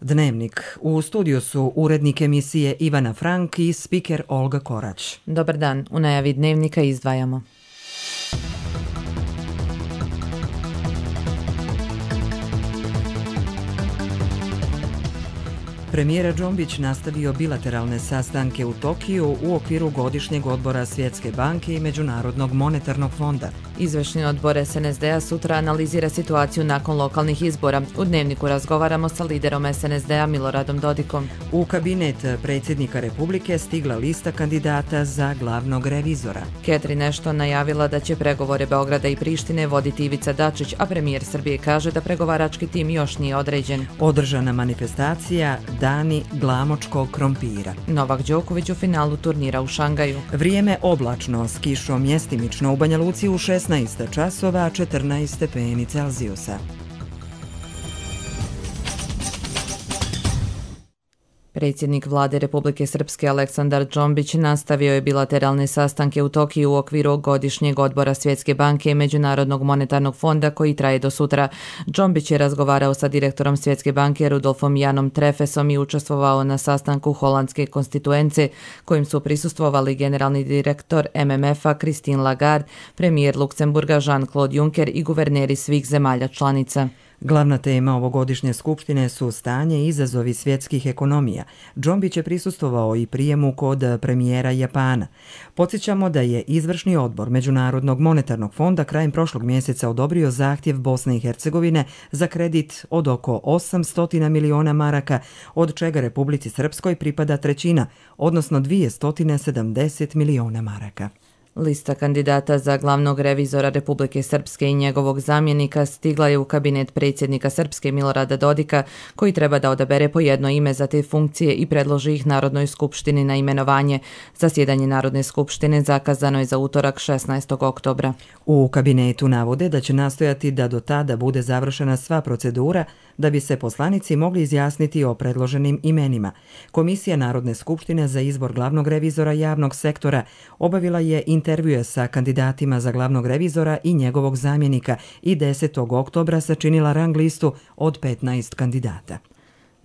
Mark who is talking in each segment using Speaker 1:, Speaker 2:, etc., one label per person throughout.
Speaker 1: Dnevnik. U studiju su urednik emisije Ivana Frank i spiker Olga Korać.
Speaker 2: Dobar dan. U najavi Dnevnika izdvajamo.
Speaker 1: Premijer Džombić nastavio bilateralne sastanke u Tokiju u okviru godišnjeg odbora Svjetske banke i Međunarodnog monetarnog fonda.
Speaker 2: Izvršni odbor SNSD-a sutra analizira situaciju nakon lokalnih izbora. U Dnevniku razgovaramo sa liderom SNSD-a Miloradom Dodikom.
Speaker 1: U kabinet predsjednika Republike stigla lista kandidata za glavnog revizora.
Speaker 2: Catherine Ashton najavila da će pregovore Beograda i Prištine voditi Ivica Dačić, a premijer Srbije kaže da pregovarački tim još nije određen.
Speaker 1: Održana manifestacija Dani glamočkog krompira.
Speaker 2: Novak Đoković u finalu turnira u Šangaju.
Speaker 1: Vrijeme oblačno, s kišom mjestimično u Banja Luci u 16 časova, 14 stepeni Celzijusa.
Speaker 2: Predsjednik vlade Republike Srpske Aleksandar Džombić nastavio je bilateralne sastanke u Tokiju u okviru godišnjeg odbora Svjetske banke i Međunarodnog monetarnog fonda koji traje do sutra. Džombić je razgovarao sa direktorom Svjetske banke Rudolfom Janom Trefesom i učestvovao na sastanku Holandske konstituence kojim su prisustvovali generalni direktor MMF-a Christine Lagarde, premijer Luksemburga Jean-Claude Juncker i guverneri svih zemalja članica.
Speaker 1: Glavna tema ovogodišnje skupštine su stanje i izazovi svjetskih ekonomija. Džombić je prisustvovao i prijemu kod premijera Japana. Podsjećamo da je izvršni odbor Međunarodnog monetarnog fonda krajem prošlog mjeseca odobrio zahtjev Bosne i Hercegovine za kredit od oko 800 miliona maraka, od čega Republici Srpskoj pripada trećina, odnosno 270 miliona maraka.
Speaker 2: Lista kandidata za glavnog revizora Republike Srpske i njegovog zamjenika stigla je u kabinet predsjednika Srpske Milorada Dodika, koji treba da odabere po jedno ime za te funkcije i predloži ih Narodnoj skupštini na imenovanje. Zasjedanje Narodne skupštine zakazano je za utorak 16. oktobra.
Speaker 1: U kabinetu navode da će nastojati da do tada bude završena sva procedura da bi se poslanici mogli izjasniti o predloženim imenima. Komisija Narodne skupštine za izbor glavnog revizora javnog sektora obavila je intervjue sa kandidatima za glavnog revizora i njegovog zamjenika i 10. oktobra sačinila rang listu od 15 kandidata.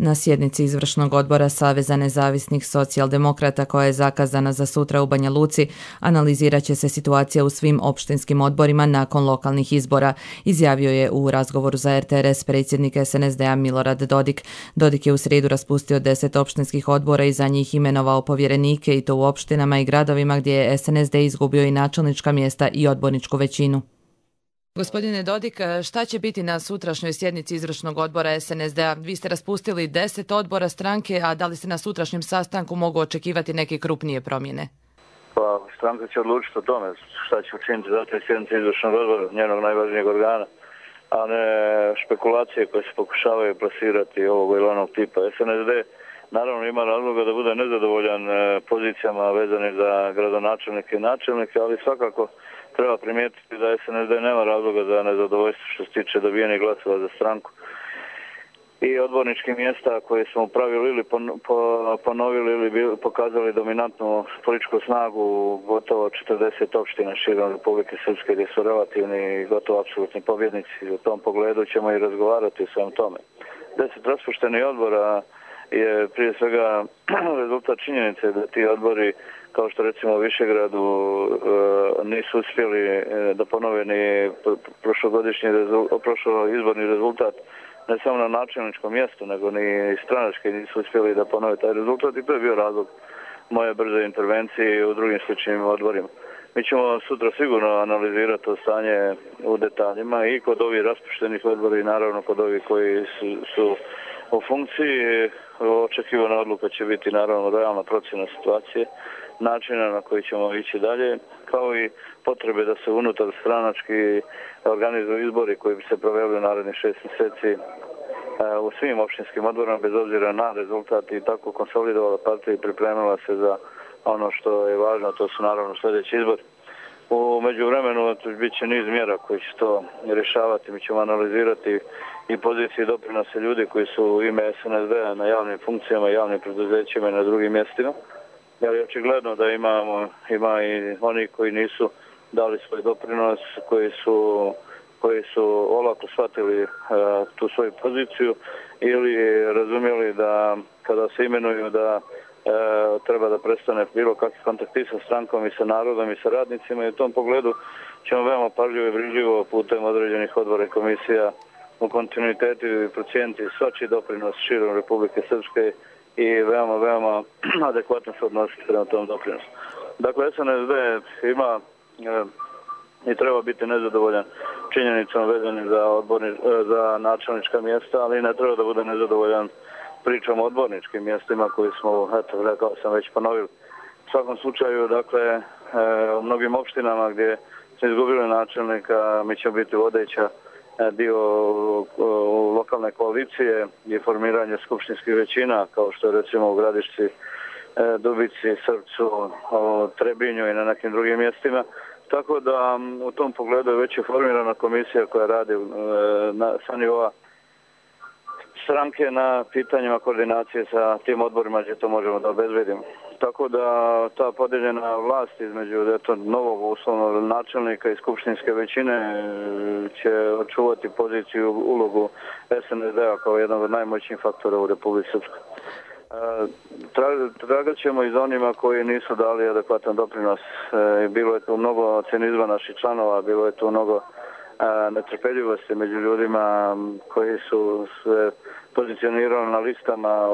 Speaker 2: Na sjednici izvršnog odbora Saveza nezavisnih socijaldemokrata koja je zakazana za sutra u Banja Luci, analizirat će se situacija u svim opštinskim odborima nakon lokalnih izbora, izjavio je u razgovoru za RTRS predsjednik SNSD-a Milorad Dodik. Dodik je u srijedu raspustio 10 opštinskih odbora i za njih imenovao povjerenike i to u opštinama i gradovima gdje je SNSD izgubio i načelnička mjesta i odborničku većinu. Gospodine Dodik, šta će biti na sutrašnjoj sjednici izvršnog odbora SNSD-a? Vi ste raspustili 10 odbora stranke, a da li se na sutrašnjem sastanku mogu očekivati neke krupnije promjene?
Speaker 3: Pa, stranka će odlučiti o tome šta će učiniti za te sjednice izvršnog odbora, njenog najvažnijeg organa, a ne špekulacije koje se pokušavaju plasirati ovog ili onog tipa. SNSD naravno ima razloga da bude nezadovoljan pozicijama vezane za gradonačelnike i načelnike, ali svakako treba primijetiti da SNSD nema razloga za nezadovoljstvo što se tiče dobijenih glasova za stranku. I odborničkih mjesta koje smo u pravilu ili ponovili ili pokazali dominantnu političku snagu u gotovo 40 opština širom Republike Srpske gdje su relativni i gotovo apsolutni pobjednici. U tom pogledu ćemo i razgovarati o svem tome. 10 raspuštenih odbora je prije svega rezultat činjenice da ti odbori, kao što recimo u Višegradu, nisu uspjeli da ponove ni prošlo izborni rezultat ne samo na načelničkom mjestu, nego ni stranački nisu uspjeli da ponove taj rezultat i to je bio razlog moje brze intervencije u drugim sličnim odborima. Mi ćemo sutra sigurno analizirati to stanje u detaljima i kod ovih raspuštenih odbora i naravno kod ovih koji su u funkciji. Očekivana odluka će biti naravno realna procjena situacije, načina na koji ćemo ići dalje, kao i potrebe da se unutar stranački organizuju izbori koji bi se proveli u narednih 6 mjeseci u svim opštinskim odborima, bez obzira na rezultat, i tako konsolidovala partija i pripremila se za ono što je važno, to su naravno sljedeći izbori. U međuvremenu bit će niz mjera koji će to rješavati. Mi ćemo analizirati i pozicije i doprinose ljudi koji su u ime SNSD-a na javnim funkcijama, javnim preduzećima i na drugim mjestima. Jer je očigledno da ima i oni koji nisu dali svoj doprinos, koji su olako shvatili tu svoju poziciju ili razumjeli da kada se imenuju da treba da prestane bilo kakvi kontakti sa strankom i sa narodom i sa radnicima i u tom pogledu ćemo veoma pažljivo i brižljivo putem određenih odbora i komisija u kontinuitetu i procijeniti svačiji doprinos širom Republike Srpske i veoma adekvatno se odnositi prema tom doprinosu. Dakle, SNSD ima i treba biti nezadovoljan činjenicom vezanim za načelnička mjesta, ali ne treba da bude nezadovoljan pričom o odborničkim mjestima koji smo, eto, rekao sam, već ponovili. U svakom slučaju, dakle, u mnogim opštinama gdje se izgubili načelnika, mi ćemo biti vodeća dio lokalne koalicije i formiranje skupštinskih većina, kao što je recimo u Gradišci, Dubici, Srpcu, Trebinju i na nekim drugim mjestima. Tako da u tom pogledu je već formirana komisija koja radi sa nivoa stranke na pitanjima koordinacije sa tim odborima gdje to možemo da obezbedimo. Tako da ta podijeljena vlast između novog uslovnog načelnika i skupštinske većine će očuvati poziciju, ulogu SNSD-a kao jednog od najmoćnijih faktora u Republici Srpskoj. Tragat ćemo i za onima koji nisu dali adekvatan doprinos. Bilo je tu mnogo cinizma naših članova, bilo je tu mnogo netrpeljivosti među ljudima koji su se pozicionirali na listama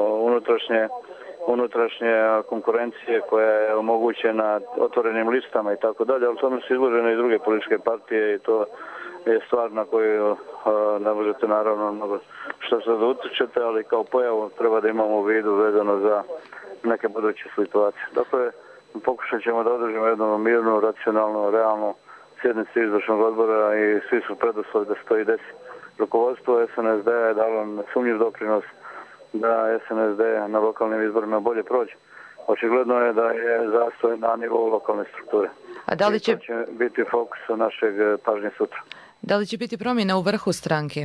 Speaker 3: unutrašnje konkurencije koja je omogućena otvorenim listama i tako dalje, ali tome su izložene i druge političke partije i to je stvar na koju ne možete naravno mnogo što se da utječete, ali kao pojavu treba da imamo u vidu vezano za neke buduće situacije. Dakle, pokušat ćemo da održimo jednu mirnu, racionalnu, realnu sjednicu izvršnog odbora i svi su preduslovi da se to i desi. Rukovodstvo SNSD je dalo nesumnjiv doprinos da SNSD na lokalnim izborima bolje prođe. Očigledno je da je zastoj na nivou lokalne strukture.
Speaker 2: A da li će
Speaker 3: biti fokus našeg pažnje sutra?
Speaker 2: Da li će biti promjena u vrhu stranke?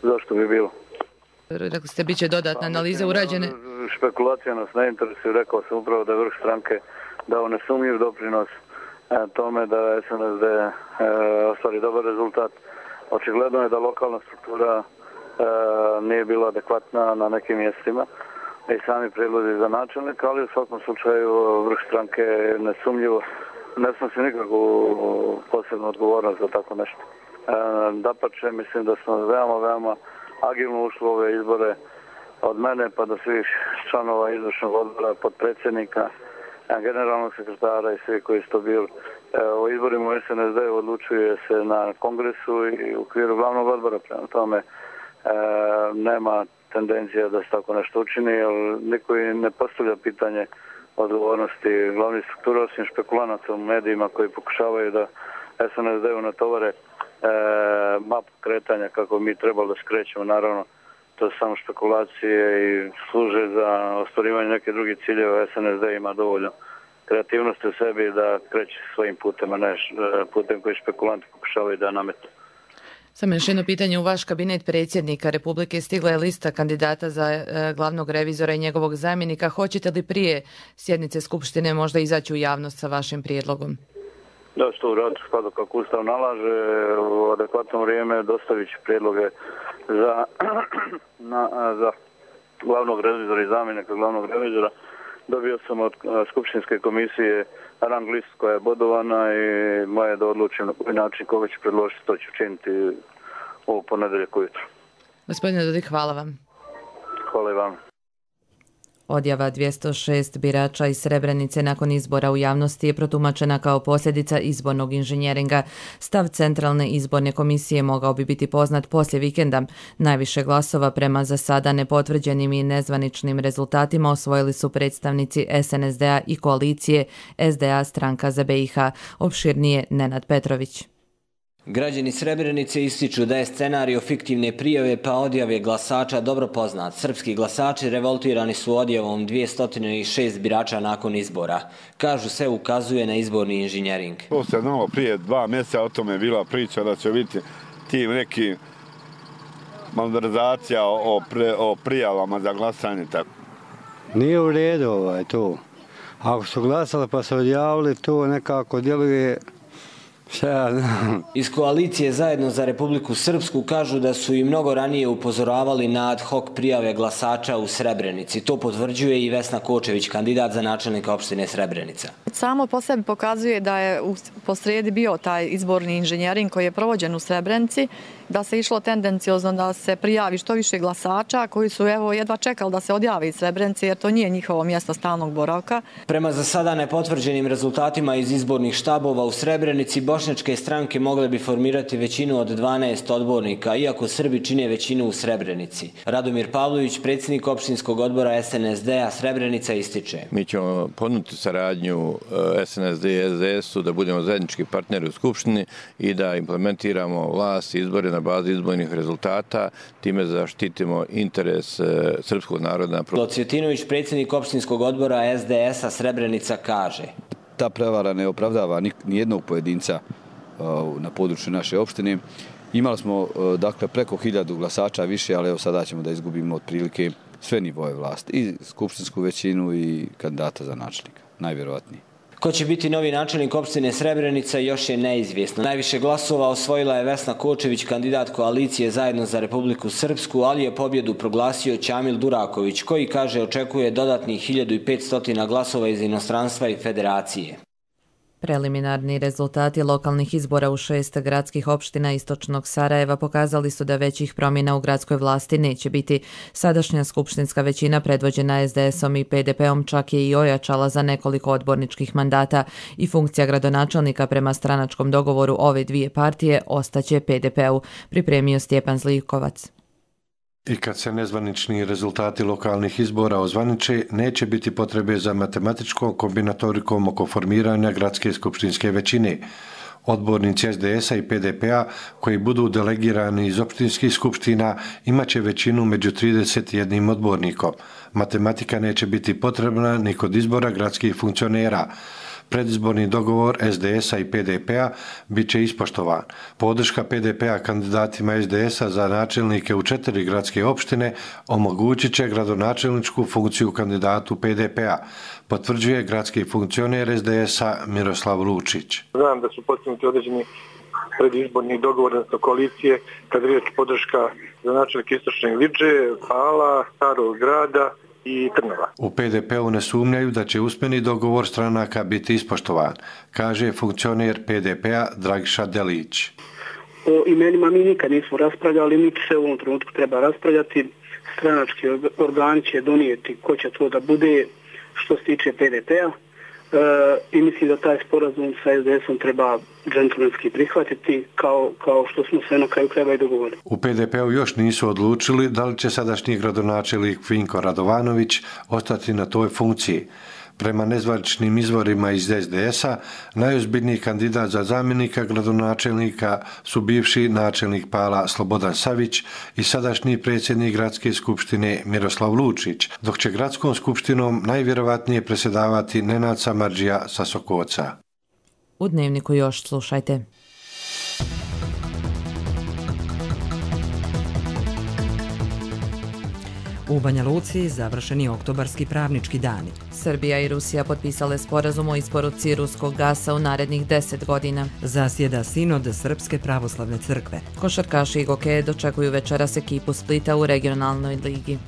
Speaker 3: Zašto bi bilo?
Speaker 2: Rekli ste, bit će dodatne analize urađene.
Speaker 3: Špekulacija nas ne interesuje. Rekao sam upravo da je vrh stranke dao nesumnjiv doprinos tome da SNSD ostvari dobar rezultat. Očigledno je da lokalna struktura nije bila adekvatna na nekim mjestima i sami prijedlozi za načelnika, ali u svakom slučaju vrh stranke nesumnjivo ne snosi nikakvu posebnu odgovornost za tako nešto. Dapače, mislim da smo veoma agilno ušli u ove izbore od mene pa do svih članova izvršnog odbora, podpredsjednika, generalnog sekretara i svi koji su to bili. O izborima u SNSD odlučuje se na kongresu i u okviru glavnog odbora, prema tome nema tendencija da se tako nešto učini, jer niko i ne postavlja pitanje odgovornosti glavnih struktura, osim špekulanata u medijima koji pokušavaju da SNSD-u natovare mapu kretanja kako mi trebalo da skrećemo. Naravno, to su samo špekulacije i služe za ostvarivanje neke drugih ciljeva. SNSD ima dovoljno kreativnosti u sebi da kreće svojim putem, a ne putem koji špekulanti pokušavaju da nametu.
Speaker 2: Samo još jedno pitanje. U vaš kabinet predsjednika Republike stigla je lista kandidata za glavnog revizora i njegovog zamjenika. Hoćete li prije sjednice Skupštine možda izaći u javnost sa vašim prijedlogom?
Speaker 3: Da, što uraditi skladu kako Ustav nalaže, u adekvatno vrijeme dostavit ću prijedloge za glavnog revizora i zamjenika glavnog revizora. Dobio sam od Skupštinske komisije rang list koja je bodovana i moje da odlučim na koji način koga ću predložiti, to ću učiniti u ponedjeljak ujutro.
Speaker 2: Gospodine Dodik, hvala vam.
Speaker 3: Hvala i vam.
Speaker 2: Odjava 206 birača iz Srebrenice nakon izbora u javnosti je protumačena kao posljedica izbornog inženjeringa. Stav Centralne izborne komisije mogao bi biti poznat poslije vikenda. Najviše glasova prema za sada nepotvrđenim i nezvaničnim rezultatima osvojili su predstavnici SNSD-a i koalicije SDA Stranka za BiH. Opširnije Nenad Petrović.
Speaker 4: Građani Srebrenice ističu da je scenario fiktivne prijave pa odjave glasača dobro poznat. Srpski glasači revoltirani su odjavom 206 birača nakon izbora. Kažu, se ukazuje na izborni inženjering.
Speaker 5: To se znalo prije 2 mjeseca, o tome je bila priča da će biti tim neki malverzacija o prijavama za glasanje.
Speaker 6: Nije u redu to. Ako su glasali pa se odjavili, to nekako djeluje
Speaker 4: Iz koalicije Zajedno za Republiku Srpsku kažu da su i mnogo ranije upozoravali na ad hoc prijave glasača u Srebrenici. To potvrđuje i Vesna Kočević, kandidat za načelnika opštine Srebrenica.
Speaker 7: Samo po sebi pokazuje da je posrijedi bio taj izborni inženjering koji je provođen u Srebrenici, da se išlo tendenciozno da se prijavi što više glasača koji su jedva čekali da se odjave iz Srebrenice jer to nije njihovo mjesto stalnog boravka.
Speaker 4: Prema za sada nepotvrđenim rezultatima iz izbornih štabova u Srebrenici, bošnjačke stranke mogle bi formirati većinu od 12 odbornika, iako Srbi čine većinu u Srebrenici. Radomir Pavlović, predsjednik opštinskog odbora SNSD-a Srebrenica, ističe.
Speaker 8: Mi ćemo ponuditi saradnju SNSD i SDS-u da budemo zajednički partneri u Skupštini i da implementiramo vlast i izbore na bazi izbornih rezultata, time zaštitimo interes srpskog naroda.
Speaker 4: Cvjetinović, predsjednik opštinskog odbora SDS-a Srebrenica, kaže.
Speaker 9: Ta prevara ne opravdava nijednog pojedinca na području naše opštine. Imali smo dakle preko 1000 glasača više, ali evo sada ćemo da izgubimo otprilike sve nivoje vlasti, i skupštinsku većinu i kandidata za načelnika, najvjerovatnije.
Speaker 4: Ko će biti novi načelnik opštine Srebrenica još je neizvjesno. Najviše glasova osvojila je Vesna Kočević, kandidat koalicije Zajedno za Republiku Srpsku, ali je pobjedu proglasio Ćamil Duraković, koji, kaže, očekuje dodatnih 1500 glasova iz inostranstva i federacije.
Speaker 2: Preliminarni rezultati lokalnih izbora u 6 gradskih opština istočnog Sarajeva pokazali su da većih promjena u gradskoj vlasti neće biti. Sadašnja skupštinska većina predvođena SDS-om i PDP-om čak je i ojačala za nekoliko odborničkih mandata i funkcija gradonačelnika prema stranačkom dogovoru ove dvije partije ostaće PDP-u, pripremio Stjepan Zlikovac.
Speaker 10: I kad se nezvanični rezultati lokalnih izbora ozvaniče, neće biti potrebe za matematičkom kombinatorikom oko formiranja gradske skupštinske većine. Odbornici SDS-a i PDP-a koji budu delegirani iz opštinskih skupština imaće većinu među 31 odbornikom. Matematika neće biti potrebna ni kod izbora gradskih funkcionera. Predizborni dogovor SDS-a i PDP-a bit će ispoštovan. Podrška PDP-a kandidatima SDS-a za načelnike u 4 gradske opštine omogućit će gradonačelničku funkciju kandidatu PDP-a, potvrđuje gradski funkcioner SDS-a Miroslav Lučić.
Speaker 11: Znam da su postignuti određeni predizborni dogovor, odnosno koalicije, kad je riječ podrška za načelnike Istočne Liđe, Pala, Starog Grada i Trnava.
Speaker 10: U PDP-u ne sumnjaju da će usmeni dogovor stranaka biti ispoštovan, kaže funkcioner PDP-a Dragiša Delić.
Speaker 12: O imenima mi nikad nismo raspravljali, niti se u ovom trenutku treba raspravljati. Stranački organi će donijeti ko će to da bude što se tiče PDP-a. I mislim da taj sporazum sa SDS-om treba džentlmenski prihvatiti kao što smo se na kraju krajeva i dogovorili.
Speaker 10: U PDP-u još nisu odlučili da li će sadašnji gradonačelnik Vinko Radovanović ostati na toj funkciji. Prema nezvaničnim izvorima iz SDS-a, najozbiljniji kandidat za zamjenika gradonačelnika su bivši načelnik Pala Slobodan Savić i sadašnji predsjednik gradske skupštine Miroslav Lučić, dok će gradskom skupštinom najvjerovatnije predsjedavati Nenad Samardžija sa Sokoca.
Speaker 2: U Dnevniku još slušajte.
Speaker 1: U Banja Luci završeni oktobarski pravnički dani.
Speaker 2: Srbija i Rusija potpisale sporazum o isporuci ruskog gasa u narednih 10 godina.
Speaker 1: Zasjeda sinod Srpske pravoslavne crkve.
Speaker 2: Košarkaši i gokeje dočekuju večeras ekipu Splita u regionalnoj ligi.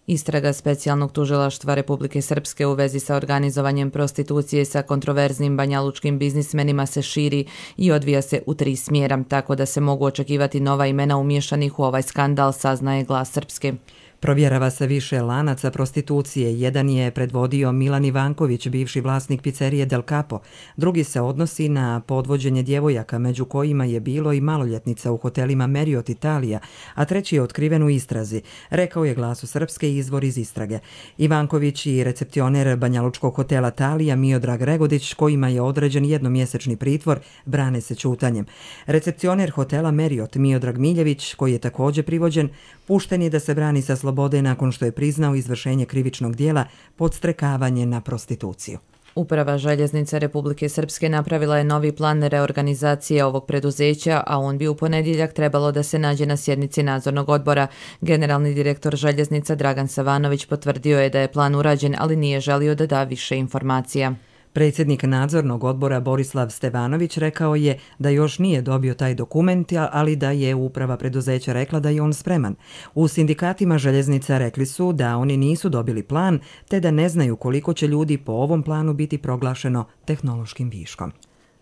Speaker 2: Istraga specijalnog tužilaštva Republike Srpske u vezi sa organizovanjem prostitucije sa kontroverznim banjalučkim biznismenima se širi i odvija se u 3 smjera, tako da se mogu očekivati nova imena umješanih u ovaj skandal, saznaje Glas Srpske.
Speaker 1: Provjerava se više lanaca prostitucije. Jedan je predvodio Milan Ivanković, bivši vlasnik pizzerije Del Capo. Drugi se odnosi na podvođenje djevojaka, među kojima je bilo i maloljetnica u hotelima Marriott Italija, a treći je otkriven u istrazi, rekao je Glasu Srpske izvor iz istrage. Ivanković i recepcioner banjalučkog hotela Talija Miodrag Regodić, kojima je određen jednomjesečni pritvor, brane se ćutanjem. Recepcioner hotela Marriott Miodrag Miljević, koji je također privođen, pušten je da se brani sa slobode nakon što je priznao izvršenje krivičnog dijela podstrekavanje na prostituciju.
Speaker 2: Uprava željeznice Republike Srpske napravila je novi plan reorganizacije ovog preduzeća, a on bi u ponedjeljak trebalo da se nađe na sjednici nadzornog odbora. Generalni direktor željeznica Dragan Savanović potvrdio je da je plan urađen, ali nije želio da da više informacija.
Speaker 1: Predsjednik nadzornog odbora Borislav Stevanović rekao je da još nije dobio taj dokument, ali da je uprava preduzeća rekla da je on spreman. U sindikatima željeznica rekli su da oni nisu dobili plan, te da ne znaju koliko će ljudi po ovom planu biti proglašeno tehnološkim viškom.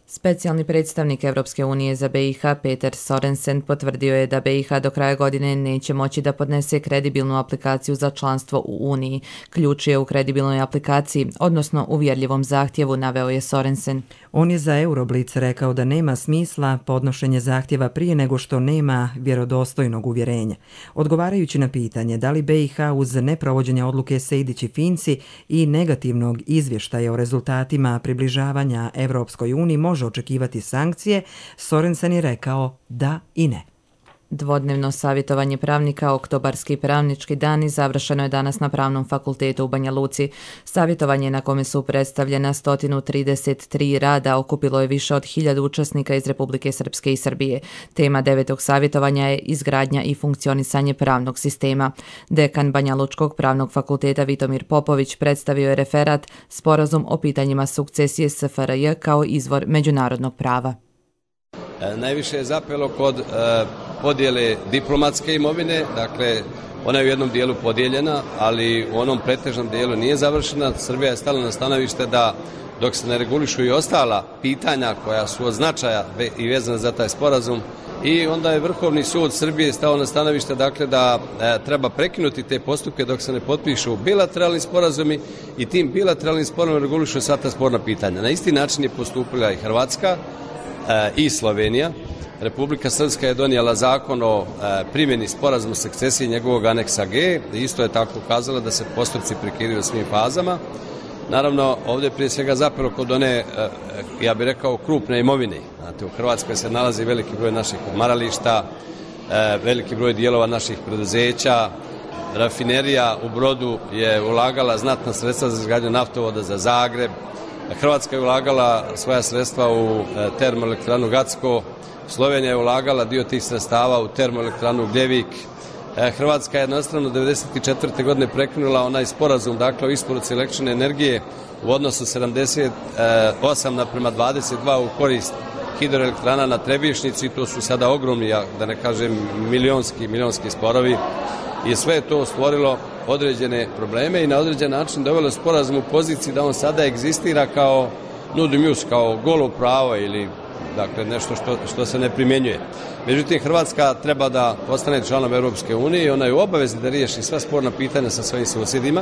Speaker 2: Specijalni predstavnik Evropske unije za BiH Peter Sorensen potvrdio je da BiH do kraja godine neće moći da podnese kredibilnu aplikaciju za članstvo u Uniji. Ključ je u kredibilnoj aplikaciji, odnosno uvjerljivom zahtjevu, naveo je Sorensen.
Speaker 1: On je za Euroblitz rekao da nema smisla podnošenje zahtjeva prije nego što nema vjerodostojnog uvjerenja. Odgovarajući na pitanje da li BiH uz neprovođenje odluke Sejdić i Finci i negativnog izvještaja o rezultatima približavanja Evropskoj uniji može očekivati sankcije, Sorensen je rekao da i ne.
Speaker 2: Dvodnevno savjetovanje pravnika, oktobarski pravnički dan, završeno je danas na Pravnom fakultetu u Banja Luci. Savjetovanje na kome su predstavljena 133 rada okupilo je više od 1000 učesnika iz Republike Srpske i Srbije. Tema 9. savjetovanja je izgradnja i funkcionisanje pravnog sistema. Dekan Banja Lučkog pravnog fakulteta Vitomir Popović predstavio je referat Sporazum o pitanjima sukcesije SFRJ kao izvor međunarodnog prava.
Speaker 13: Najviše je zapelo kod podjele diplomatske imovine, dakle ona je u jednom dijelu podijeljena, ali u onom pretežnom dijelu nije završena. Srbija je stala na stanovište da dok se ne regulišu i ostala pitanja koja su od značaja i vezana za taj sporazum, i onda je Vrhovni sud Srbije stao na stanovište dakle da treba prekinuti te postupke dok se ne potpišu bilateralni sporazumi i tim bilateralnim sporazumom regulišu sva ta sporna pitanja. Na isti način je postupila i Hrvatska i Slovenija. Republika Srpska je donijela zakon o primjeni sporazuma sukcesije njegovog aneksa G. Isto je tako ukazala da se postupci prekidaju u svim fazama. Naravno, ovdje je prije svega zapelo kod one, ja bih rekao, krupne imovine. Znate, u Hrvatskoj se nalazi veliki broj naših odmarališta, veliki broj dijelova naših preduzeća. Rafinerija u Brodu je ulagala znatna sredstva za izgradnju naftovoda za Zagreb. Hrvatska je ulagala svoja sredstva u termoelektranu Gacko, Slovenija je ulagala dio tih sredstava u termoelektranu Gljevik. Hrvatska je jednostavno 1994. godine prekinula onaj sporazum, dakle, o isporuci električne energije u odnosu 78:22 u korist hidroelektrana na Trebišnjici. To su sada ogromni, da ne kažem milionski sporovi, i sve je to stvorilo određene probleme i na određen način dovelo sporazum u poziciji da on sada egzistira kao nudum-jus, kao golo pravo ili dakle nešto što se ne primjenjuje. Međutim, Hrvatska treba da postane članom Europske unije i ona je u obavezi da riješi sva sporna pitanja sa svojim susjedima.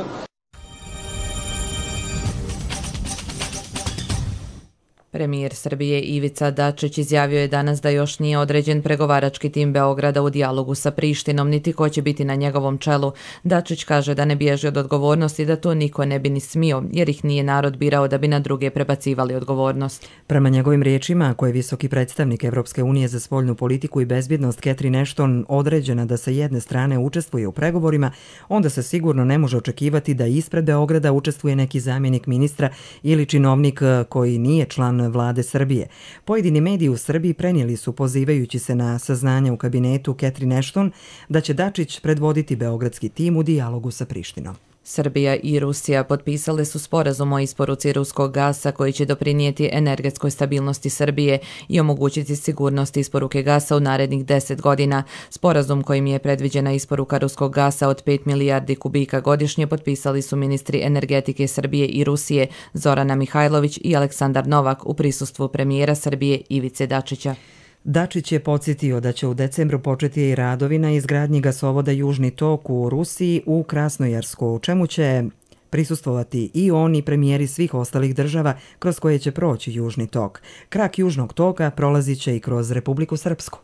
Speaker 2: Premijer Srbije Ivica Dačić izjavio je danas da još nije određen pregovarački tim Beograda u dijalogu sa Prištinom, niti ko će biti na njegovom čelu. Dačić kaže da ne bježi od odgovornosti, da to niko ne bi ni smio, jer ih nije narod birao da bi na druge prebacivali odgovornost.
Speaker 1: Prema njegovim riječima, ako je visoki predstavnik Evropske unije za spoljnu politiku i bezbjednost Catherine Ashton određena da sa jedne strane učestvuje u pregovorima, onda se sigurno ne može očekivati da ispred Beograda učestvuje neki zamjenik ministra ili činovnik koji nije član vlade Srbije. Pojedini mediji u Srbiji prenijeli su, pozivajući se na saznanja u kabinetu Catherine Ashton, da će Dačić predvoditi beogradski tim u dijalogu sa Prištinom.
Speaker 2: Srbija i Rusija potpisale su sporazum o isporuci ruskog gasa koji će doprinijeti energetskoj stabilnosti Srbije i omogućiti sigurnost isporuke gasa u narednih 10 godina. Sporazum kojim je predviđena isporuka ruskog gasa od 5 milijardi kubika godišnje potpisali su ministri energetike Srbije i Rusije Zorana Mihajlović i Aleksandar Novak u prisustvu premijera Srbije Ivice Dačića.
Speaker 1: Dačić je podsjetio da će u decembru početi i radovi na izgradnji gasovoda Južni tok u Rusiji u Krasnojarsku, u čemu će prisustvovati i on i premijeri svih ostalih država kroz koje će proći Južni tok. Krak Južnog toka prolazit će i kroz Republiku Srpsku.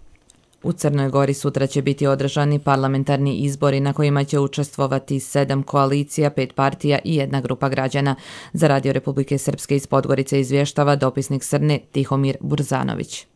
Speaker 2: U Crnoj Gori sutra će biti održani parlamentarni izbori na kojima će učestvovati 7 koalicija, 5 partija i 1 grupa građana. Za Radio Republike Srpske iz Podgorice izvještava dopisnik Srne Tihomir Burzanović.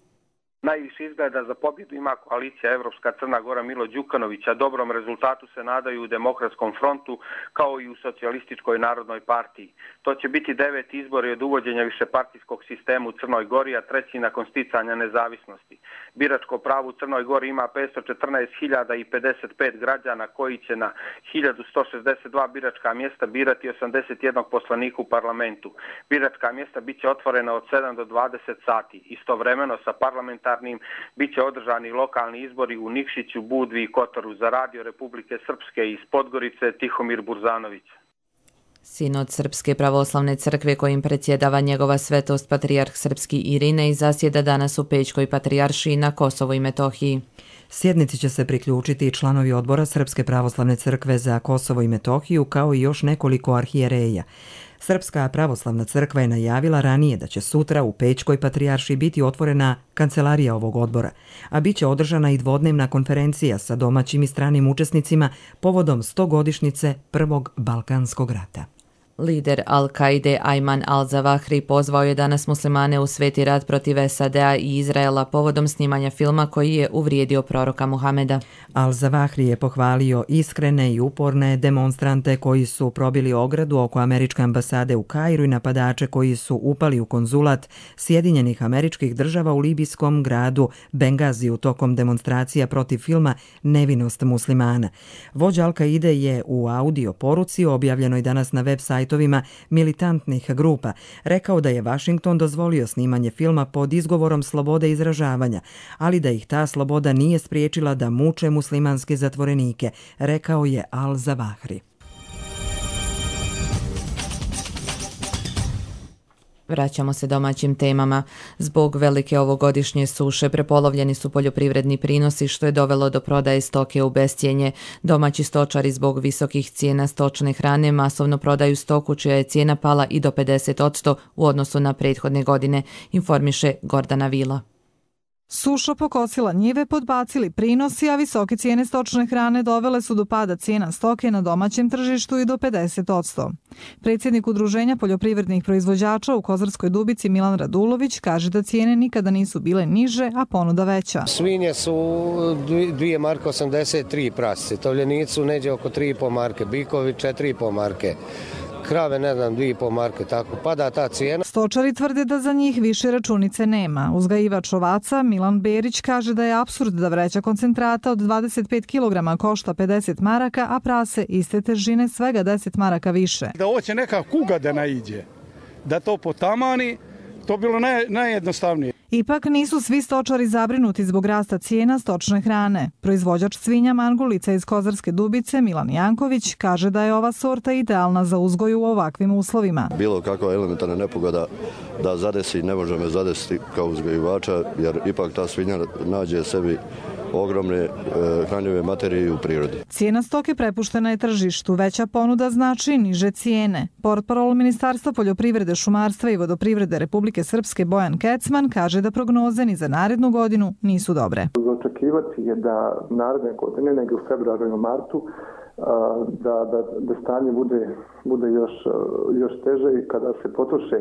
Speaker 11: Najviše izgleda za pobjedu ima koalicija Evropska Crna Gora Milo Đukanovića. Dobrom rezultatu se nadaju u Demokratskom frontu kao i u Socijalističkoj narodnoj partiji. To će biti 9. izbori od uvođenja višepartijskog sistema u Crnoj Gori, a 3. nakon sticanja nezavisnosti. Biračko pravo u Crnoj Gori ima 514.055 građana koji će na 1162 biračka mjesta birati 81 poslanika u parlamentu. Biračka mjesta biće otvorena od 7 do 20 sati. Istovremeno sa parlamentarnim biće održani lokalni izbori u Nikšiću, Budvi i Kotoru. Za Radio Republike Srpske iz Podgorice Tihomir Burzanović.
Speaker 2: Sinod Srpske pravoslavne crkve kojim predsjedava njegova svetost patrijarh srpski Irinej zasjeda danas u Pećkoj patrijaršiji na Kosovu i Metohiji.
Speaker 1: Sjednici će se priključiti i članovi odbora Srpske pravoslavne crkve za Kosovo i Metohiju kao i još nekoliko arhijereja. Srpska pravoslavna crkva je najavila ranije da će sutra u Pećkoj patrijaršiji biti otvorena kancelarija ovog odbora, a bit će održana i dvodnevna konferencija sa domaćim i stranim učesnicima povodom 100-godišnjice Prvog Balkanskog rata.
Speaker 2: Lider Al-Kaide Ayman al-Zawahri pozvao je danas muslimane u sveti rat protiv SAD-a i Izraela povodom snimanja filma koji je uvrijedio proroka Muhameda.
Speaker 1: Al-Zawahri je pohvalio iskrene i uporne demonstrante koji su probili ogradu oko američke ambasade u Kairu i napadače koji su upali u konzulat Sjedinjenih Američkih Država u libijskom gradu Bengaziju tokom demonstracija protiv filma Nevinost muslimana. Vođa Al-Kaide je u audio poruci objavljenoj danas na web sajtu militantnih grupa rekao da je Washington dozvolio snimanje filma pod izgovorom slobode izražavanja, ali da ih ta sloboda nije spriječila da muče muslimanske zatvorenike, rekao je Al-Zawahri.
Speaker 2: Vraćamo se domaćim temama. Zbog velike ovogodišnje suše prepolovljeni su poljoprivredni prinosi što je dovelo do prodaje stoke u bescjenje. Domaći stočari zbog visokih cijena stočne hrane masovno prodaju stoku čija je cijena pala i do 50% u odnosu na prethodne godine, informiše Gordana Vila.
Speaker 14: Suša pokosila njive, podbacili prinosi, a visoke cijene stočne hrane dovele su do pada cijena stoke na domaćem tržištu i do 50%. Predsjednik Udruženja poljoprivrednih proizvođača u Kozarskoj Dubici Milan Radulović kaže da cijene nikada nisu bile niže, a ponuda veća.
Speaker 15: Svinje su 2 marke 83 prasice, tovljenici su neđe oko 3,5 marke, bikovi 4,5 marke. Krave, ne znam, 2,5 marke, tako pada ta cijena.
Speaker 14: Stočari tvrde da za njih više računice nema. Uzgajivač ovaca Milan Berić kaže da je apsurd da vreća koncentrata od 25 kg košta 50 maraka, a prase iste težine svega 10 maraka više.
Speaker 16: Da hoće neka kuga da naiđe, da to potamani, to bilo najjednostavnije.
Speaker 14: Ipak nisu svi stočari zabrinuti zbog rasta cijena stočne hrane. Proizvođač svinja Mangulica iz Kozarske Dubice Milan Janković kaže da je ova sorta idealna za uzgoj u ovakvim uslovima.
Speaker 17: Bilo kakva elementarna nepogoda da zadesi, ne može me zadesiti kao uzgojivača, jer ipak ta svinja nađe sebi ogromne hranjive materije u prirodi.
Speaker 14: Cijena stoke prepuštena je tržištu, veća ponuda znači niže cijene. Portparol Ministarstva poljoprivrede, šumarstva i vodoprivrede Republike Srpske Bojan Kecman kaže da prognoze ni za narednu godinu nisu dobre.
Speaker 18: Očekivati je da naredne godine, negdje u februaru i martu, da stanje bude još teže i kada se potroše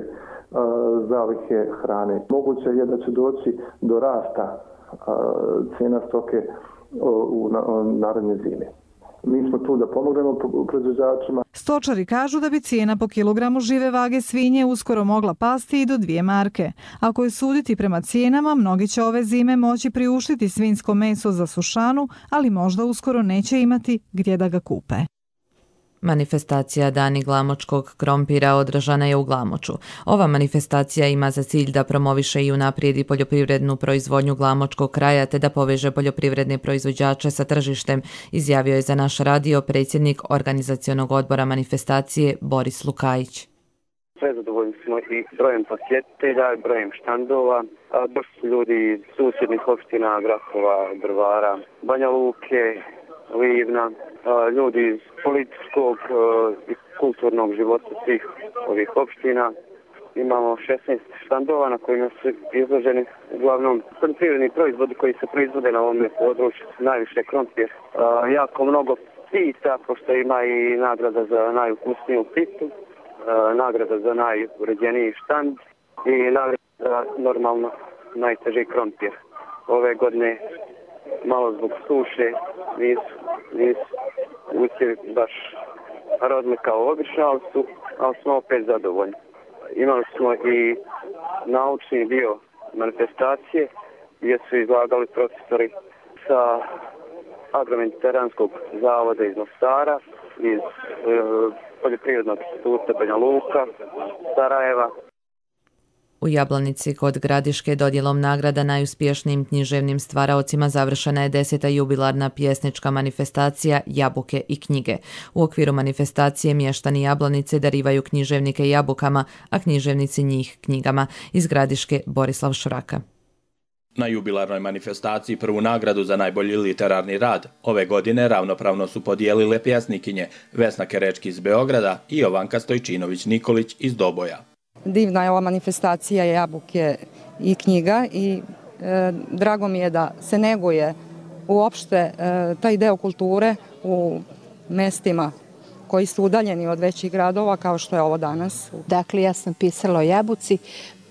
Speaker 18: zalihe hrane. Moguće je da će doći do rasta cijena stoke u naredne zime. Mi smo tu da pomognemo proizvođačima.
Speaker 14: Stočari kažu da bi cijena po kilogramu žive vage svinje uskoro mogla pasti i do 2 marke. Ako je suditi prema cijenama, mnogi će ove zime moći priuštiti svinjsko meso za sušanu, ali možda uskoro neće imati gdje da ga kupe.
Speaker 2: Manifestacija Dani glamočkog krompira održana je u Glamoču. Ova manifestacija ima za cilj da promoviše i unaprijedi poljoprivrednu proizvodnju glamočkog kraja te da poveže poljoprivredne proizvođače sa tržištem, izjavio je za naš radio predsjednik organizacionog odbora manifestacije Boris Lukajić.
Speaker 19: Prezadovoljni smo i brojem posjetitelja, brojem štandova. Došli su ljudi iz susjednih opština Grahova, Drvara, Banja Luke, Livna, ljudi iz političkog i kulturnog života svih ovih opština. Imamo 16 štandova na kojima su izloženi uglavnom poljoprivredni proizvodi koji se proizvode na ovom području, najviše krompir. Jako mnogo pita, pošto ima i nagrada za najukusniju pitu, nagrada za najuređeniji štand i nagrada za normalno najteži krompir. ove godine malo zbog suše nisu usjevi baš rodni kao obično, ali smo opet zadovoljni. Imali smo i naučni dio manifestacije gdje su izlagali profesori sa Agro-mediteranskog zavoda iz Mostara, iz Poljoprivrednog instituta Banja Luka, Sarajeva.
Speaker 2: U Jablanici kod Gradiške dodjelom nagrada najuspješnijim književnim stvaraocima završena je 10. jubilarna pjesnička manifestacija Jabuke i knjige. U okviru manifestacije mještani Jablanice darivaju književnike jabukama, a književnici njih knjigama. Iz Gradiške Borislav Šuraka.
Speaker 20: Na jubilarnoj manifestaciji prvu nagradu za najbolji literarni rad ove godine ravnopravno su podijelile pjesnikinje Vesna Kerečki iz Beograda i Jovanka Stojčinović-Nikolić iz Doboja.
Speaker 21: Divna je ova manifestacija Jabuke i knjiga i drago mi je da se neguje uopšte taj deo kulture u mestima koji su udaljeni od većih gradova kao što je ovo danas.
Speaker 22: Dakle, ja sam pisala o Jabuci,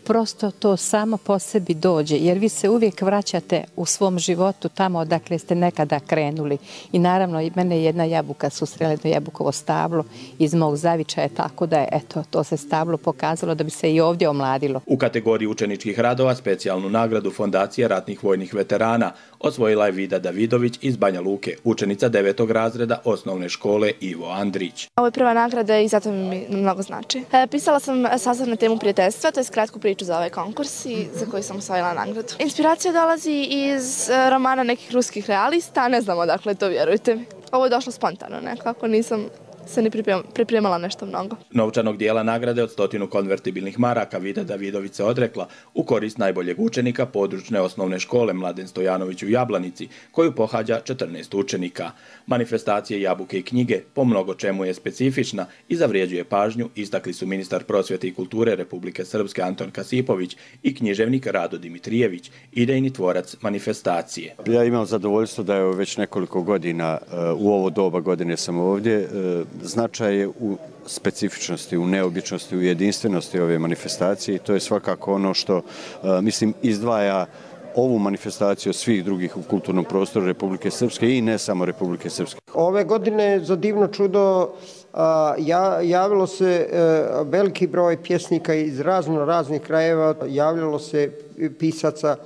Speaker 22: prosto to samo po sebi dođe, jer vi se uvijek vraćate u svom životu tamo odakle ste nekada krenuli. I naravno, i mene jedna jabuka susrela, jedno jabukovo stablo iz mog zavičaja, tako da je to se stablo pokazalo da bi se i ovdje omladilo.
Speaker 20: U kategoriji učeničkih radova specijalnu nagradu Fondacije ratnih vojnih veterana osvojila je Vida Davidović iz Banja Luke, učenica 9. razreda osnovne škole Ivo Andrić.
Speaker 23: Ovo je prva nagrada i zato mi mnogo znači. Pisala sam sastav na temu prijateljstva, to je kratku priču za ovaj konkurs i za koji sam osvojila nagradu. Inspiracija dolazi iz romana nekih ruskih realista, ne znam odakle to, vjerujte mi. Ovo je došlo spontano nekako, nisam se ni pripremala nešto mnogo.
Speaker 20: Novčanog dijela nagrade od 100 konvertibilnih maraka Vida Davidović se odrekla u korist najboljeg učenika područne osnovne škole Mladen Stojanović u Jablanici, koju pohađa 14 učenika. Manifestacije Jabuke i knjige po mnogo čemu je specifična i zavrijeđuje pažnju, istakli su ministar prosvjete i kulture Republike Srpske Anton Kasipović i književnik Rado Dimitrijević, idejni tvorac manifestacije.
Speaker 24: Ja imam zadovoljstvo da je već nekoliko godina, u ovo doba godine sam ovdje. Značaj je u specifičnosti, u neobičnosti, u jedinstvenosti ove manifestacije i to je svakako ono što, mislim, izdvaja ovu manifestaciju od svih drugih u kulturnom prostoru Republike Srpske i ne samo Republike Srpske.
Speaker 25: Ove godine za divno čudo javilo se veliki broj pjesnika iz raznih krajeva, javljalo se pisaca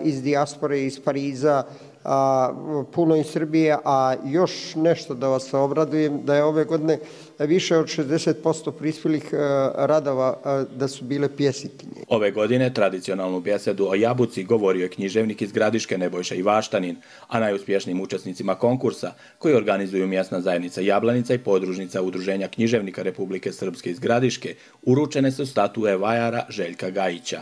Speaker 25: iz dijaspore, iz Pariza, puno iz Srbije, a još nešto da vas obradujem, da je ove godine više od 60% prispjelih radova da su bile pjesnikinje.
Speaker 20: Ove godine tradicionalnu besedu o Jabuci govorio je književnik iz Gradiške Nebojša Ivaštanin, a najuspješnijim učesnicima konkursa, koji organizuju mjesna zajednica Jablanica i podružnica Udruženja književnika Republike Srpske iz Gradiške, uručene su statue vajara Željka Gajića.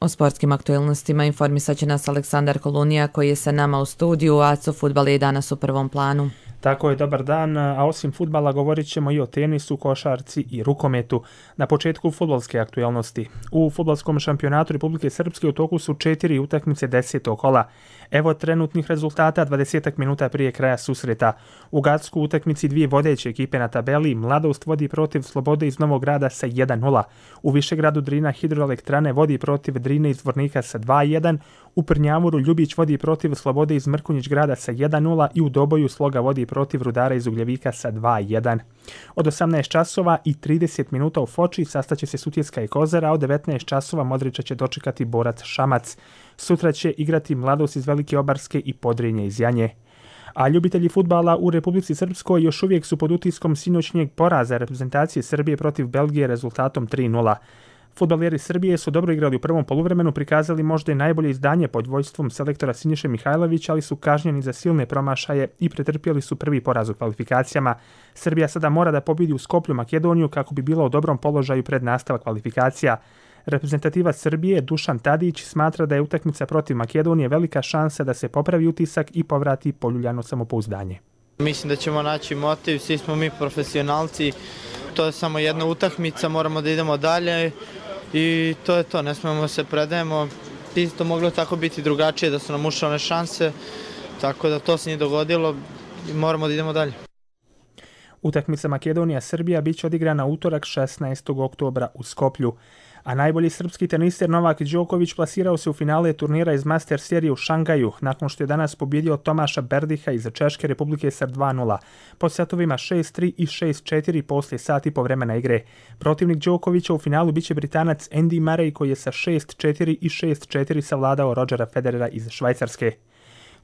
Speaker 2: O sportskim aktualnostima informisat će nas Aleksandar Kolunija koji je sa nama u studiju, a ACO fudbal je danas u prvom planu.
Speaker 26: Tako je, dobar dan, a osim fudbala govorit ćemo i o tenisu, košarci i rukometu. Na početku fudbalske aktualnosti. U fudbalskom šampionatu Republike Srpske u toku su 4 utakmice 10. kola. Evo trenutnih rezultata 20 minuta prije kraja susreta. U Gacku utakmici dvije vodeće ekipe na tabeli. Mladost vodi protiv Slobode iz Novog Grada sa 1-0. U Višegradu Drina Hidroelektrane vodi protiv Drine iz Zvornika sa 2-1. U Prnjavoru Ljubić vodi protiv Slobode iz Mrkonjić Grada sa 1-0 i u Doboju Sloga vodi protiv Rudara iz Ugljevika sa 2-1. Od 18 časova i 30 minuta u Foči sastaće se Sutjeska i Kozara, a od 19 časova Modrića će dočekati Borac Šamac. Sutra će igrati Mladost iz Velike Obarske i Podrinje iz Janje. A ljubitelji fudbala u Republici Srpskoj još uvijek su pod utiskom sinoćnjeg poraza reprezentacije Srbije protiv Belgije rezultatom 3-0. Fudbaleri Srbije su dobro igrali u prvom poluvremenu, prikazali možda i najbolje izdanje pod vođstvom selektora Siniše Mihajlovića, ali su kažnjeni za silne promašaje i pretrpjeli su prvi poraz u kvalifikacijama. Srbija sada mora da pobjedi u Skoplju Makedoniju kako bi bila u dobrom položaju pred nastavak kvalifikacija. Reprezentativac Srbije Dušan Tadić smatra da je utakmica protiv Makedonije velika šansa da se popravi utisak i povrati poljuljano samopouzdanje.
Speaker 27: Mislim da ćemo naći motiv, svi smo mi profesionalci, to je samo jedna utakmica, moramo da idemo dalje i to je to, ne smemo se predajemo. Isto moglo tako biti drugačije da su nam ušle one šanse, tako da to se nije dogodilo i moramo da idemo dalje.
Speaker 26: Utakmica Makedonija-Srbija bit će odigrana utorak 16. oktobra u Skoplju. A najbolji srpski tenister Novak Đoković plasirao se u finale turnira iz Master serije u Šangaju, nakon što je danas pobjedio Tomaša Berdiha iz Češke Republike sa 2-0, po setovima 6-3 i 6-4 poslije sati po vremena igre. Protivnik Đokovića u finalu biće Britanac Andy Murray koji je sa 6-4 i 6-4 savladao Rodgera Federera iz Švajcarske.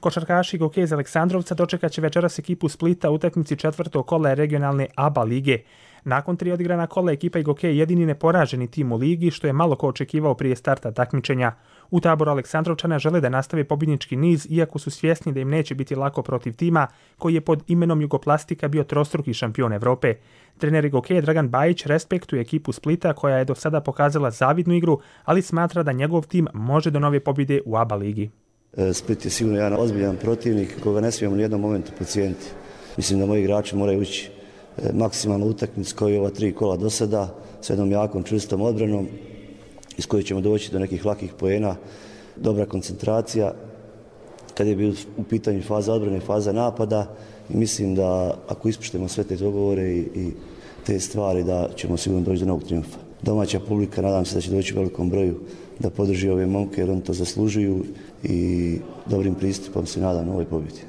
Speaker 26: Košarkaši Goke iz Aleksandrovca dočekat će večeras ekipu Splita u utakmici četvrtog kola regionalne ABA lige. Nakon 3 odigrana kola ekipa Goke je jedini neporaženi tim u ligi, što je malo ko očekivao prije starta takmičenja. U taboru Aleksandrovčana žele da nastave pobjednički niz, iako su svjesni da im neće biti lako protiv tima koji je pod imenom Jugoplastika bio trostruki šampion Evrope. Trener Goke Dragan Bajić respektuje ekipu Splita koja je do sada pokazala zavidnu igru, ali smatra da njegov tim može do nove pobjede u ABA ligi.
Speaker 3: Split je sigurno jedan ozbiljan protivnik koga ne smijemo u nijednom momentu podcijeniti. Mislim da moji igrači moraju ući maksimalno utakmicu kao i ova 3 kola do sada, s jednom jakom, čvrstom odbranom iz koje ćemo doći do nekih lakih poena, dobra koncentracija kad je bio u pitanju faza odbrane i faza napada i mislim da ako ispoštujemo sve te dogovore i te stvari da ćemo sigurno doći do novog triumfa. Domaća publika nadam se da će doći u velikom broju da podrži ove momke jer oni to zaslužuju i dobrim pristupom se nadam novoj pobjedi.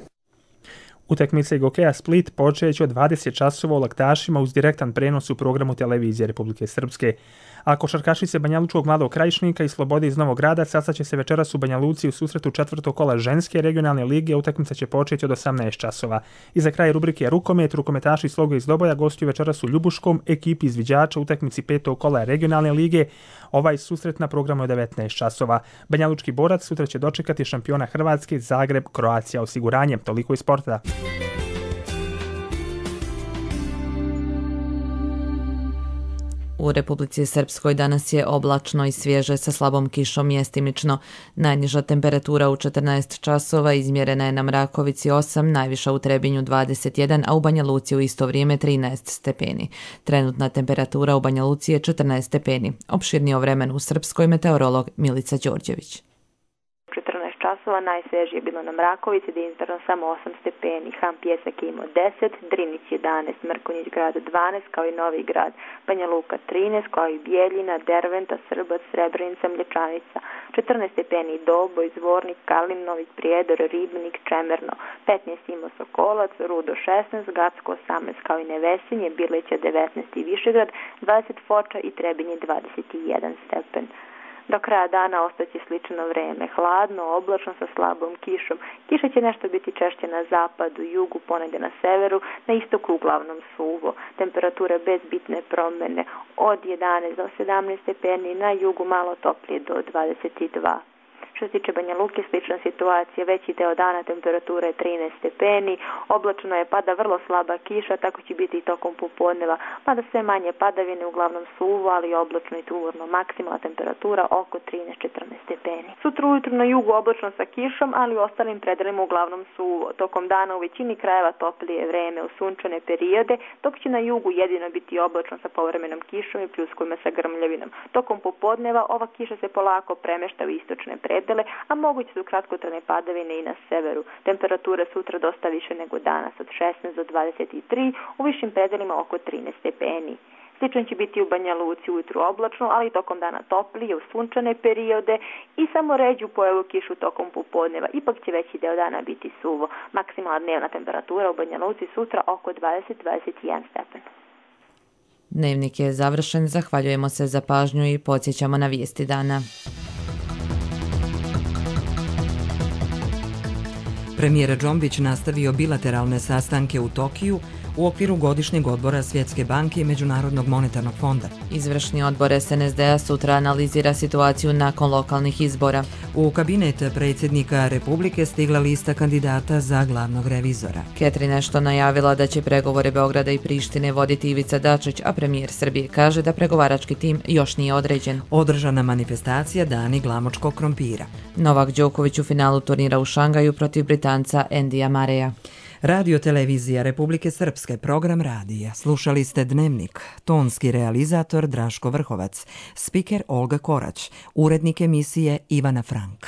Speaker 26: Utakmice Gokeja Split počeće od 20 časova u Laktašima uz direktan prenos u programu televizije Republike Srpske. A košarkašice Banjalučkog Mladog Krajišnika i Slobode iz Novog Grada sastaće se večeras u Banja Luci u susretu četvrtog kola ženske regionalne lige. Utakmica će početi od 18 časova. I za kraj rubrike Rukomet, rukometaši Sloga iz Doboja gostuju večeras u Ljubuškom, ekipi izviđača utakmici petog kola regionalne lige. Ovaj susret na programu je 19 časova. Banjalučki borac sutra će dočekati šampiona Hrvatske Zagreb Croatia osiguranje. Toliko iz sporta.
Speaker 2: U Republici Srpskoj danas je oblačno i svježe sa slabom kišom mjestimično. Najniža temperatura u 14 časova izmjerena je na Mrakovici 8, najviša u Trebinju 21, a u Banja Luci u isto vrijeme 13 stepeni. Trenutna temperatura u Banja Luci je 14 stepeni. Opširnije o vremenu u Srpskoj meteorolog Milica Đorđević.
Speaker 4: 14 časova najsvježije je bilo na Mrakovici gdje je izmjereno samo 8 stepeni, Ham Pjesak je imao 10, Drinić 11, Mrkonjić grad 12 kao i Novi grad, Banja Luka 13 kao i Bijeljina, Derventa, Srbac, Srebrenica, Mlječanica, 14 stepeni Doboj, Zvornik, Kalin, Novi Prijedor, Ribnik, Čemerno, 15 imao Sokolac, Rudo 16, Gacko 18 kao i Nevesinje, Birlića 19 i Višegrad, 20 Foča i Trebinje 21 stepen. Do kraja dana ostaće slično vrijeme, hladno, oblačno sa slabom kišom. Kiša će nešto biti češće na zapadu, jugu, ponegdje na severu, na istoku uglavnom suvo. Temperature bez bitne promjene od 11 do 17 stepeni, na jugu malo toplije do 22. Što se tiče Banja Luke, slična situacija, veći deo dana temperatura je 13 stepeni, oblačno je, pada vrlo slaba kiša, tako će biti i tokom popodneva, pada sve manje padavine, uglavnom suvo, ali oblačno i tmurno, maksimalna temperatura oko 13-14 stepeni. Sutra ujutro na jugu oblačno sa kišom, ali u ostalim predelima uglavnom suvo. Tokom dana u većini krajeva toplije vreme u sunčane periode, dok će na jugu jedino biti oblačno sa povremenom kišom i pljuskovima sa grmljavinom. Tokom popodneva ova kiša se polako premešta u istočne predele, a moguće su kratkotrajne padavine i na severu. Temperature sutra dosta više nego danas, od 16 do 23, u višim predelima oko 13 stepeni. Slično će biti u Banja Luci ujutru oblačno, ali tokom dana toplije u sunčane periode i samo ređu pojavu kišu tokom popodneva. Ipak će veći deo dana biti suvo. Maksimalna dnevna temperatura u Banja Luci sutra oko 20-21 stepen.
Speaker 2: Dnevnik je završen, zahvaljujemo se za pažnju i podsjećamo na vijesti dana.
Speaker 1: Premijer Džombić nastavio bilateralne sastanke u Tokiju u okviru godišnjeg odbora Svjetske banke i Međunarodnog monetarnog fonda.
Speaker 2: Izvršni odbor SNSD-a sutra analizira situaciju nakon lokalnih izbora.
Speaker 1: U kabinet predsjednika Republike stigla lista kandidata za glavnog revizora.
Speaker 2: Catherine Ashton najavila da će pregovore Beograda i Prištine voditi Ivica Dačić, a premijer Srbije kaže da pregovarački tim još nije određen.
Speaker 1: Održana manifestacija Dani glamočkog krompira.
Speaker 2: Novak Đoković u finalu turnira u Šangaju protiv Britanca Andyja Murraya.
Speaker 1: Radio televizija Republike Srpske, program radija. Slušali ste Dnevnik. Tonski realizator Draško Vrhovac. Spiker Olga Korać. Urednik emisije Ivana Frank.